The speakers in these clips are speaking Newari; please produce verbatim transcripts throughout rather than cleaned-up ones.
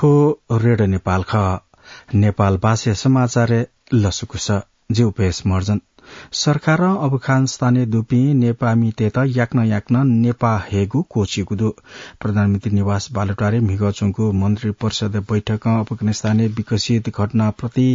थ्व रेडियो नेपाल खः। नेपाल भाषाया समाचारय् लसकुस। जि उपेश महर्जन। सरकारं अफगानिस्तानय् दुपिं नेपाःमितय्त याकनं याकनं नेपाः हयेगु क्वःछिउगु दु। प्रधानमन्त्री निवास बालुवाटारय् म्हिगः च्वंगु मन्त्री परिषद बैठकं अफगानिस्तानय् विकसित घटनाप्रति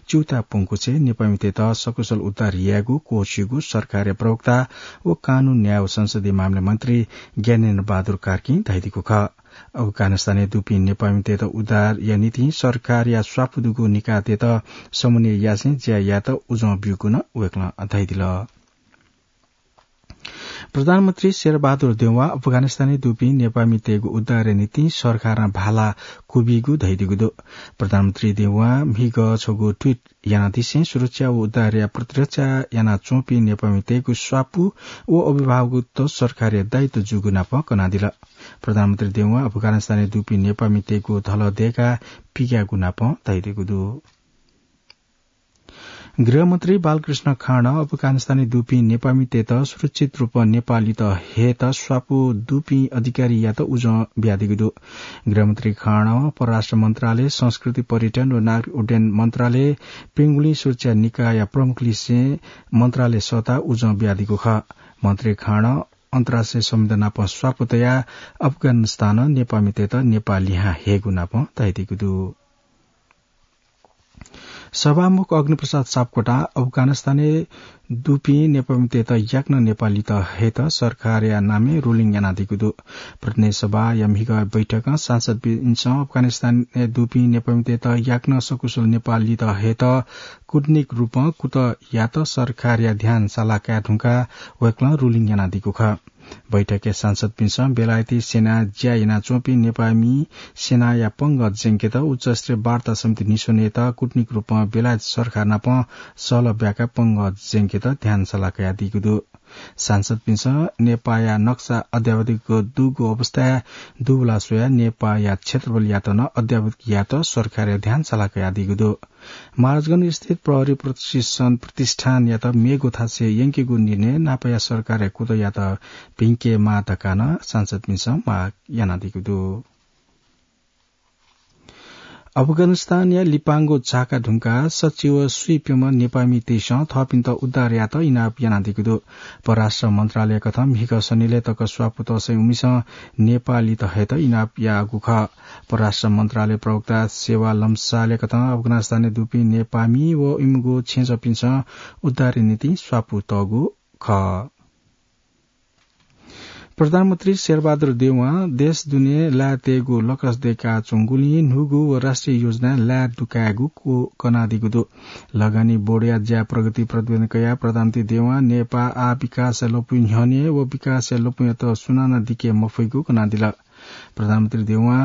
च्यूताः प्वंगु छेँय् नेपाःमितय्त सकुशल उद्धार यायेगु क्वःछिउगु सरकारया प्रवक्ता व कानून, न्याय व संसदीय मामला मन्त्री ज्ञानेन्द्र बहादुर कार्कीं धयादीगु खः। अफगानिस्तानय् दुपिं नेपाःमितय्त उद्धारया निंतिं सरकारया स्वापू दुगु निकायतय्त समन्वय यासें ज्या यायेत उजं ब्यूगु नं वय्कलं धयादिल। प्रधानमन्त्री शेरबहादुर देउवां अफगानिस्तानय् दुपिं नेपाःमितय्गु उद्धारया निंतिं सरकारं भाला क्वबिइगु धयादीगु दु। प्रधानमन्त्री देउवां म्हिगः छगू ट्वीट यानादिसें सुरक्षा व उद्धारया प्रतिरक्षा यानाच्वंपिं नेपाःमितय्गु स्वापू व अभिभावकत्व सरकारया दायित्व जूगु नाप कनादिल। प्रधानमन्त्री देउवां अफगानिस्तानय् दुपिं नेपाःमितय्गु धलः दय्काः पिग्याःगु नाप धयादीगु दु। गृहमन्त्री बालकृष्ण खाँडं अफगानिस्तानय् दुपिं नेपाःमितय्त सुरक्षित रूपं नेपाः लित हयेत स्वापू दुपिं अधिकारीयात उजं बियादीगु दु। गृहमन्त्री खाँडं परराष्ट्र मन्त्रालय, संस्कृति, पर्यटन व नागरिक उड्डयन मन्त्रालय, पेंगुलिं सुरक्षा निकायया प्रमुख लिसें मन्त्रालय सःताः उजं बियादीगु खः। मन्त्री खाँडं अन्तर्राष्ट्रिय संविधान नाप स्वापू तयाः अफगानिस्तानं नेपाःमितय्त नेपाः लिहां हयेगु नाप धयादीगु दु। सभामुख अग्निप्रसाद सापकोटां अफगानिस्तानय् दुपिं नेपाःमितय्त याकनं नेपाः लित हयेत सरकारया नामय् ruling यानादीगु दु। प्रतिनिधि सभाया म्हिगः बैठकं सांसदपिन्सं अफगानिस्तानय् दुपिं नेपाःमितय्त याकनं सकुशल नेपाः लित हयेत कूटनीतिक रूपं कुतः यायेत सरकारया ध्यान साला काये धुंकाः वय्कलं ruling यानादीगु खः। बैठकय् सांसदपिन्सं बेलायती सेनाय् ज्या यानाच्वंपिं नेपाःमि सेनाया पंगः ज्यंकेत उच्चस्तरीय वार्ता समिति निस्वनेत कूटनीतिक रूपं बेलायत सरकार नाप सहलह ब्याकाः पंगः ज्यंकेत ध्यान साला कयादीगु दु। सांसदपिन्सं नेपाःया नक्सा अद्यावधिक दुगु अवस्थाय् दुबला स्वयाः नेपाःया क्षेत्रफलयात नं अद्यावधिक यायेत सरकारया ध्यान साला कयादीगु दु। महाराजगंज स्थित प्रहरी प्रशिक्षण प्रतिष्ठानयात मेगु थासय् यंकेगु निर्णय नापया सरकारया कुतःयात भिंकेमाः धकाः नं सांसदपिन्सं माग यानादीगु दु। अफगानिस्तानया लिपांगु झाका धुंकाः सच्छि व स्वीप्यम्ह नेपाःमितय्सं थःपिन्त उद्धार यायेत इनाप यानादीगु दु। परराष्ट्र मन्त्रालय कथं म्हिगः सनिलय् तक स्वापू तःसां उमिसं नेपाः लित हयेत इनाप याःगु खः। परराष्ट्र मन्त्रालय प्रवक्ता सेवा लम्सालय् कथं अफगानिस्तानय् दुपिं नेपाःमि व इमिगु छेँजःपिन्सं उद्धारया निंतिं स्वापू तःगु खः। प्रधानमन्त्री शेरबहादुर देउवां देश दुने लाय् तयेगु लकस दय्काच्वंगुलिं न्हूगु व राष्ट्रिय योजनाय् लाय् दुकायेगु क्व कनादीगु दु। लगानी बोर्डया ज्या प्रगति प्रतिवेदन कयाः प्रधानमन्त्री देउवां नेपाः आः विकासया लँपुइ न्ह्यःने व विकासया लँपुयात सुनानं दिके मफइगु कनादिल। प्रधानमन्त्री देउवां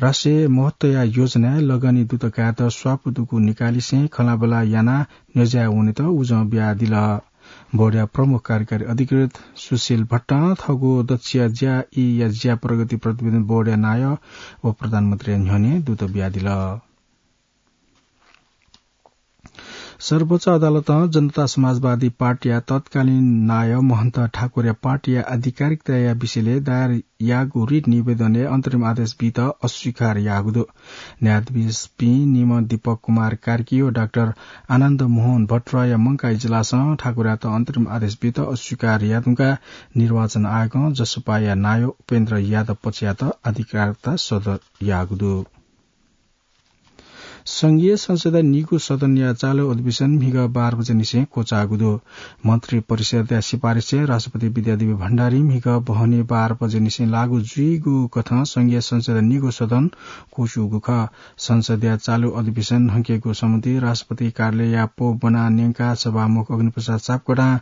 राष्ट्रिय महत्वया योजनाय् लगानी दुत कायेत स्वापू दुगु निकालिसें खँल्हाबल्हा यानाः न्ह्यज्याय् वनेत उजं बियादिल। बोर्डया प्रमुख कार्यकारी अधिकृत सुशील भट्टं थःगु दच्छिया ज्या ईया ज्या प्रगति प्रतिवेदन बोर्डया नायः व प्रधानमन्त्रीया न्ह्यःने दूत बियादिल। सर्वोच्च अदालतं जनता समाजवादी पार्टीया तत्कालीन नायः महन्त ठाकुरया पार्टीया आधिकारिकताया विषयलय् दायर याःगु रिट निवेदनय् अन्तरिम आदेश बीत अस्वीकार याःगु दु। न्यायाधीशपिं निम्ह दीपक कुमार कार्की व डाक्टर आनन्द मोहन भट्टराईया मंकाः इजलासं ठाकुरयात अन्तरिम आदेश बीत अस्वीकार याःधुंकाः निर्वाचन आयोगं जसपाया नायः उपेन्द्र यादव पक्षयात आधिकारिकता सदर याःगु दु। संघीय संसदया निगू सदनया चालु अधिवेशन म्हिगः बाह्र बजेनिसें क्वचाःगु दु। मन्त्री परिषदया सिफारिसय् राष्ट्रपति विद्यादेवी भण्डारी म्हिगः बहनी बाह्र बजेनिसें लागू जुइगु कथं संघीय संसदया निगू सदन क्वचूगु खः। संसदया चालु अधिवेशन हंकेगु सम्बन्धी राष्ट्रपति कार्यालयया पौ ब्वना न्यंकाः सभामुख अग्निप्रसाद सापकोटां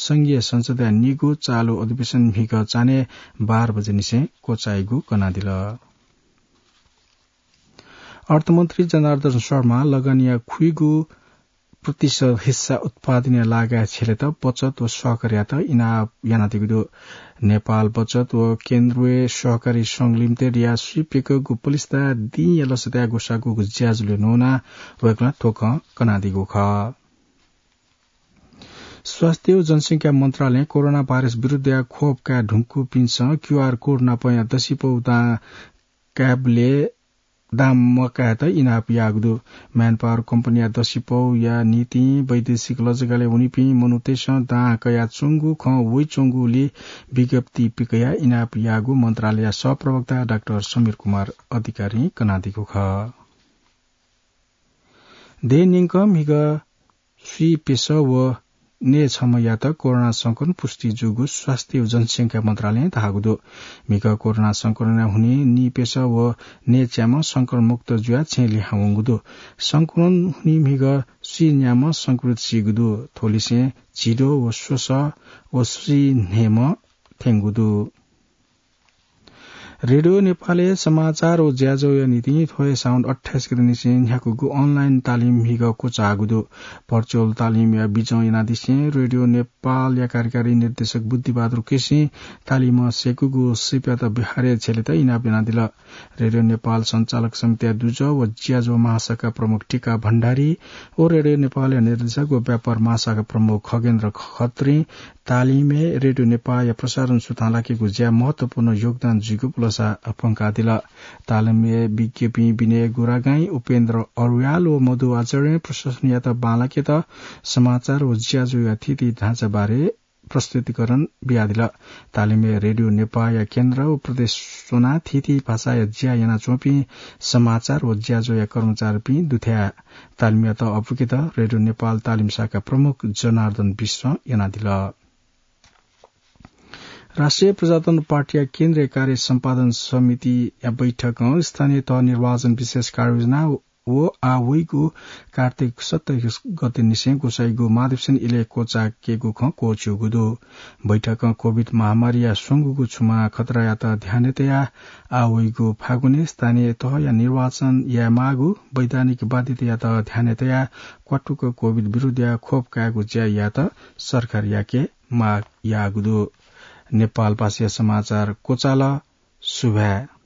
संघीय संसदया निगू चालु अधिवेशन म्हिगः चान्हय् बाह्र बजेनिसें क्वचाइगु कनादिल। अर्थमन्त्री जनार्दन शर्मां लगानीया खुइगू प्रतिशत हिस्सा उत्पादनया लागाय् छ्यलेत बचत व सहकारीयात इनाप यानादीगु दु। नेपाल बचत व केन्द्रीय सहकारी संघ लिमिटेडया स्वीप्यकगु पलिस्था दिंया लसताय् ग्वसाःगु ज्याझ्वलय् न्वनाः वय्कलं थ्व खँ कनादीगु खः। स्वास्थ्य व जनसंख्या मन्त्रालयं कोरोना भाइरस विरुद्धया खोप काये धुंकूपिन्सं क्यूआर कोड नापया दसिपौ दां कायेबलय् दां मकायेत इनाप याःगु दु। Manpower कम्पनीया दसिपौया निंतिं वैदेशिक लजगालय् वनीपिं मनूतय्सं दां कयाच्वंगु खँ वइच्वंगुलिं विज्ञप्ति पिकयाः इनाप याःगु मन्त्रालयया सहप्रवक्ता डाक्टर समीर कुमार अधिकारीं कनादीगु खः। देय् न्यंकं म्हिगः स्वीप्यसः व नयेछम्हयात कोरोना संक्रमण पुष्टि जूगु स्वास्थ्य व जनसंख्या मन्त्रालयं धाःगु दु। म्हिगः कोरोना संक्रमणया हुनिं नीप्यसः व नयेच्याम्ह संक्रमण मुक्त जुयाः छेँ लिहां वंगु दु। संक्रमण हुनिं म्हिगः स्वीन्याम्ह संक्रमित सीगु दु। थ्वलिसें झिद्वः व स्वसः व स्वीन्हय्म्ह थ्यंगु दु। रेडियो नेपालय् समाचार व ज्याझ्वःया निंतिं थ्व हे साउन अट्ठाइस गतेनिसें न्ह्याकूगु online तालिम म्हिगः क्वचाःगु दु। Virtual तालिमया बिजं यानादिसें रेडियो नेपालया कार्यकारी निर्देशक बुद्धिबहादुर केसीं तालिमं सय्कूगु सिपयात बिहारय् झ्यलेत इनाप यानादिल। रेडियो नेपाल सञ्चालक समितिया दुजः व ज्याझ्वः महाशाखा प्रमुख टिका भण्डारी व रेडियो नेपालया निर्देशक व व्यापार महाशाखा प्रमुख खगेन्द्र खत्रीं तालिमय् रेडियो नेपालया प्रसारण सुथां लाकेगु ज्याय् महत्वपूर्ण योगदान जुइगु पुलसा प्वंकादिल। तालिमय् विज्ञपिं विनय गुरागाईं, उपेन्द्र अर्याल व मधु आचार्यं प्रशासनयात बांलाकेत समाचार व ज्याझ्वःया थीथी ढाँचाबारे प्रस्तुतिकरण बियादिल। तालिमय् रेडियो नेपालया केन्द्र व प्रदेश स्वनाः थीथी भाषाया ज्या यानाच्वंपिं समाचार व ज्याझ्वःया कर्मचारीपिं दुथ्याः। तालिमयात अप्वकेत रेडियो नेपाल तालिम शाखा प्रमुख जनार्दन विश्वं यानादिल। राष्ट्रिय प्रजातन्त्र पार्टीया केन्द्रीय कार्य सम्पादन समितिया बैठकं स्थानीय तह निर्वाचन विशेष कार्ययोजना व आः वइगु कार्तिक सत्ताइस गतेनिसें ग्वसाइगु महाधिवेशन इलय् क्वचायेकेगु खँ क्वःछिउगु दु। बैठकं COVID महामारीया स्वंगूगु छुमा खतरायात ध्यानय् तयाः आः वइगु फागुनय् स्थानीय तहया निर्वाचन यायेमाःगु वैधानिक बाध्यतायात ध्यानय् तयाः क्वातुक COVID विरुद्धया खोप कायेगु ज्या यायेत सरकारयाके माग याःगु दु। नेपाल भाषाया समाचार क्वचाल। सुभाय्।